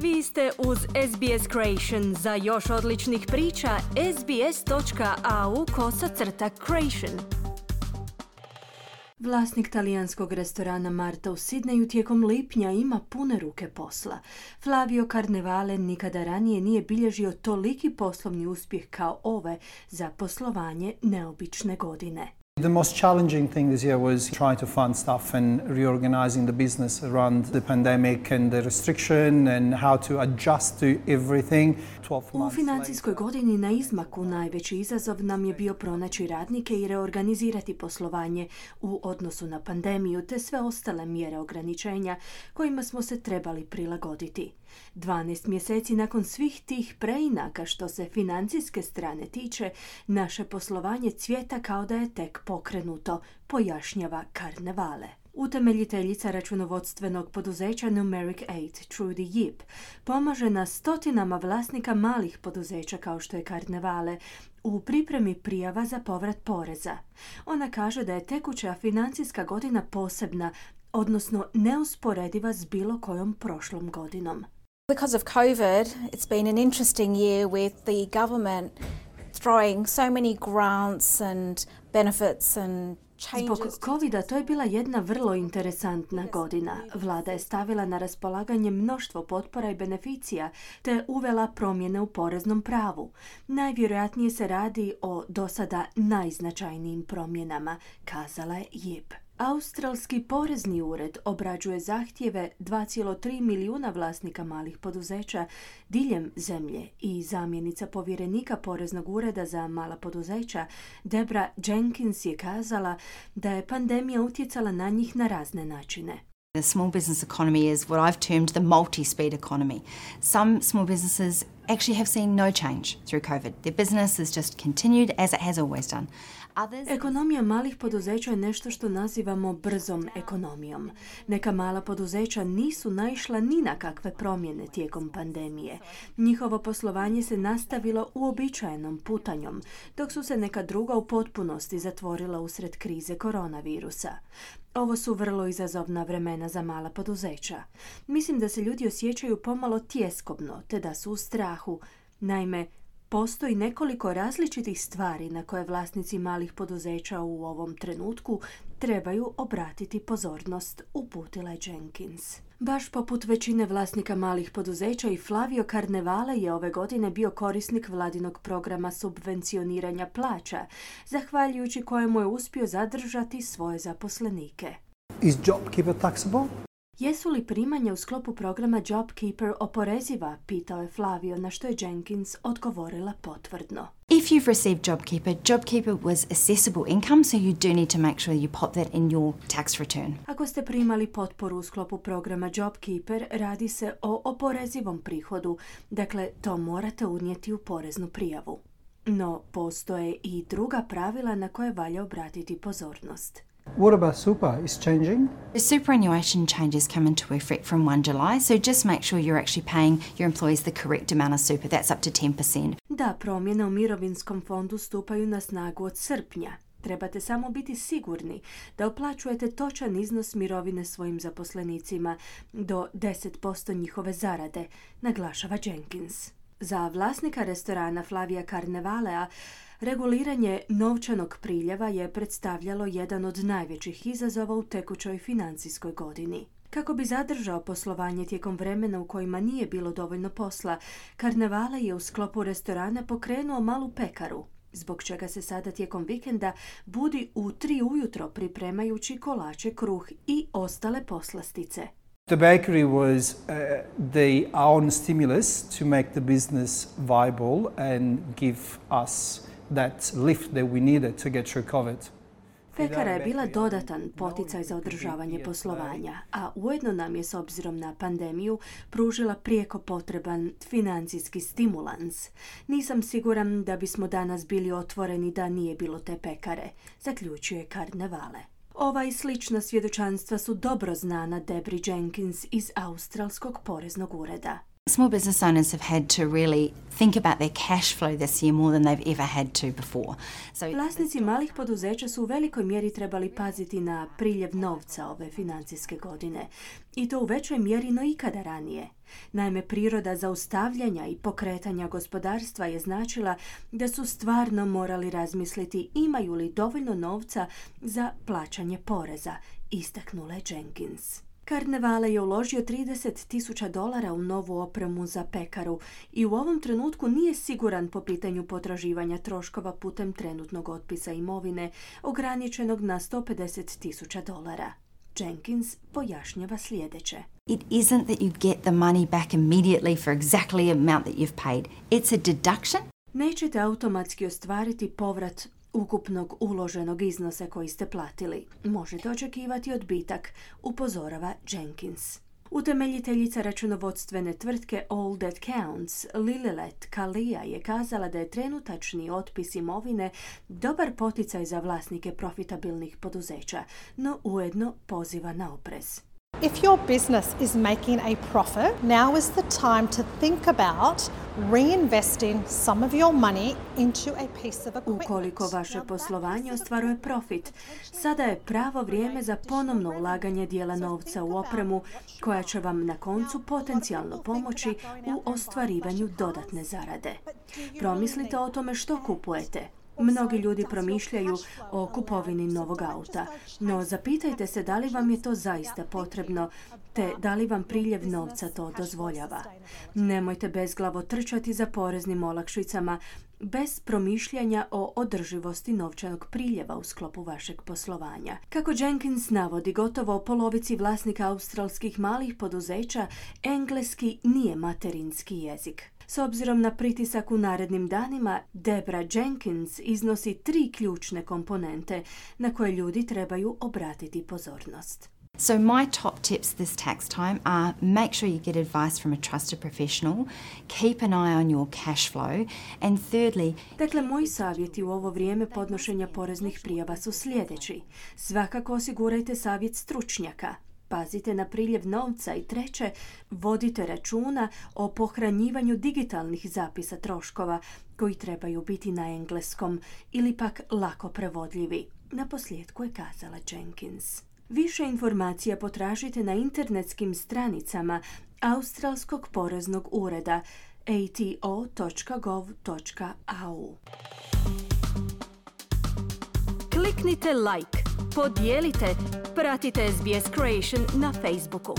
Vi ste uz SBS Creation. Za još odličnih priča, sbs.au/creation. Vlasnik talijanskog restorana Marta u Sidneju tijekom lipnja ima pune ruke posla. Flavio Carnevale nikada ranije nije bilježio toliki poslovni uspjeh kao ove za poslovanje neobične godine. The most challenging thing this year was trying to fund stuff and reorganizing the business around the pandemic and the restriction and how to adjust to everything. U financijskoj godini na izmaku najveći izazov nam je bio pronaći radnike i reorganizirati poslovanje u odnosu na pandemiju te sve ostale mjere ograničenja kojima smo se trebali prilagoditi. 12 mjeseci nakon svih tih preinaka što se financijske strane tiče, naše poslovanje cvjeta kao da je tek pokrenuto, pojašnjava Carnevale. Utemeljiteljica računovodstvenog poduzeća Numeric 8, Trudy Yip, pomaže na stotinama vlasnika malih poduzeća kao što je Carnevale u pripremi prijava za povrat poreza. Ona kaže da je tekuća financijska godina posebna, odnosno neusporediva s bilo kojom prošlom godinom. Because of COVID, it's been an interesting year with the government throwing so many grants and benefits and changes. Zbog COVID-a to je bila jedna vrlo interesantna godina. Vlada je stavila na raspolaganje mnoštvo potpora i beneficija te uvela promjene u poreznom pravu. Najvjerojatnije se radi o dosada najznačajnijim promjenama, kazala je Yip. Australski porezni ured obrađuje zahtjeve 2,3 milijuna vlasnika malih poduzeća diljem zemlje i zamjenica povjerenika poreznog ureda za mala poduzeća Debra Jenkins je kazala da je pandemija utjecala na njih na razne načine. The small business economy is what I've termed the multi-speed economy. Some small businesses actually have seen no change through COVID. Their business has just continued as it has always done. Ekonomija malih poduzeća je nešto što nazivamo brzom ekonomijom. Neka mala poduzeća nisu naišla ni na kakve promjene tijekom pandemije. Njihovo poslovanje se nastavilo uobičajenom putanjom, dok su se neka druga u potpunosti zatvorila usred krize koronavirusa. Ovo su vrlo izazovna vremena za mala poduzeća. Mislim da se ljudi osjećaju pomalo tjeskobno, te da su u strahu. Naime, postoji nekoliko različitih stvari na koje vlasnici malih poduzeća u ovom trenutku trebaju obratiti pozornost, uputila je Jenkins. Baš poput većine vlasnika malih poduzeća i Flavio Carnevale je ove godine bio korisnik vladinog programa subvencioniranja plaća, zahvaljujući kojemu je uspio zadržati svoje zaposlenike. Is JobKeeper taxable? Jesu li primanja u sklopu programa JobKeeper oporeziva, pitao je Flavio, na što je Jenkins odgovorila potvrdno. If you've received JobKeeper, JobKeeper was assessable income, so you do need to make sure you pop that in your tax return. Ako ste primali potporu u sklopu programa JobKeeper, radi se o oporezivom prihodu, dakle to morate unijeti u poreznu prijavu. No, postoje i druga pravila na koje valja obratiti pozornost. What about super? Is changing? The superannuation changes come into effect from 1 July, so just make sure you're actually paying your employees the correct amount of super. That's up to 10%. Da, promjene u mirovinskom fondu stupaju na snagu od srpnja. Trebate samo biti sigurni da uplaćujete točan iznos mirovine svojim zaposlenicima do 10% njihove zarade, naglašava Jenkins. Za vlasnika restorana Flavia Carnevalea reguliranje novčanog priljeva je predstavljalo jedan od najvećih izazova u tekućoj financijskoj godini. Kako bi zadržao poslovanje tijekom vremena u kojima nije bilo dovoljno posla, Carnevale je u sklopu restorana pokrenuo malu pekaru, zbog čega se sada tijekom vikenda budi u 3 ujutro pripremajući kolače, kruh i ostale poslastice. The bakery was the own stimulus to make the business viable and give us that lift that we needed to get through COVID. Pekara je bila dodatan poticaj za održavanje poslovanja, a ujedno nam je s obzirom na pandemiju pružila prijeko potreban financijski stimulans. Nisam siguran da bismo danas bili otvoreni da nije bilo te pekare, zaključuje Carnevale. Ova i slična svjedočanstva su dobro znana Debri Jenkins iz Australskog poreznog ureda. Small business owners have had to really think about their cash flow this year more than they've ever had to before. Vlasnici malih poduzeća su u velikoj mjeri trebali paziti na priljev novca ove financijske godine. I to u većoj mjeri no ikada ranije. Naime, priroda zaustavljanja i pokretanja gospodarstva je značila da su stvarno morali razmisliti imaju li dovoljno novca za plaćanje poreza, istaknula je Jenkins. Carnevale je uložio $30,000 u novu opremu za pekaru i u ovom trenutku nije siguran po pitanju potraživanja troškova putem trenutnog otpisa imovine ograničenog na $150,000. Jenkins pojašnjava sljedeće. It isn't that you get the money back immediately for exactly the amount that you've paid. It's a deduction. Nećete automatski ostvariti povrat ukupnog uloženog iznosa koji ste platili. Možete očekivati odbitak, upozorava Jenkins. Utemeljiteljica računovodstvene tvrtke All That Counts, Lilith Kalia, je kazala da je trenutačni otpis imovine dobar poticaj za vlasnike profitabilnih poduzeća, no ujedno poziva na oprez. If your business is making a profit, now is the time to think about reinvesting some of your money into a piece of equipment. Ukoliko vaše poslovanje ostvaruje profit, sada je pravo vrijeme za ponovno ulaganje dijela novca u opremu koja će vam na koncu potencijalno pomoći u ostvarivanju dodatne zarade. Promislite o tome što kupujete. Mnogi ljudi promišljaju o kupovini novog auta, no zapitajte se da li vam je to zaista potrebno, te da li vam priljev novca to dozvoljava. Nemojte bezglavo trčati za poreznim olakšicama bez promišljanja o održivosti novčanog priljeva u sklopu vašeg poslovanja. Kako Jenkins navodi, gotovo polovici vlasnika australskih malih poduzeća engleski nije materinski jezik. S obzirom na pritisak u narednim danima, Debra Jenkins iznosi 3 ključne komponente na koje ljudi trebaju obratiti pozornost. So my top tips this tax time are make sure you get advice from a trusted professional, keep an eye on your cash flow, and thirdly... Dakle, moji savjeti u ovo vrijeme podnošenja poreznih prijava su sljedeći. Svakako osigurajte savjet stručnjaka. Pazite na priljev novca i treće, vodite računa o pohranjivanju digitalnih zapisa troškova koji trebaju biti na engleskom ili pak lako prevodljivi. Naposljetku je kazala Jenkins. Više informacija potražite na internetskim stranicama Australskog poreznog ureda ato.gov.au. Kliknite like, podijelite, pratite SBS Creation na Facebooku.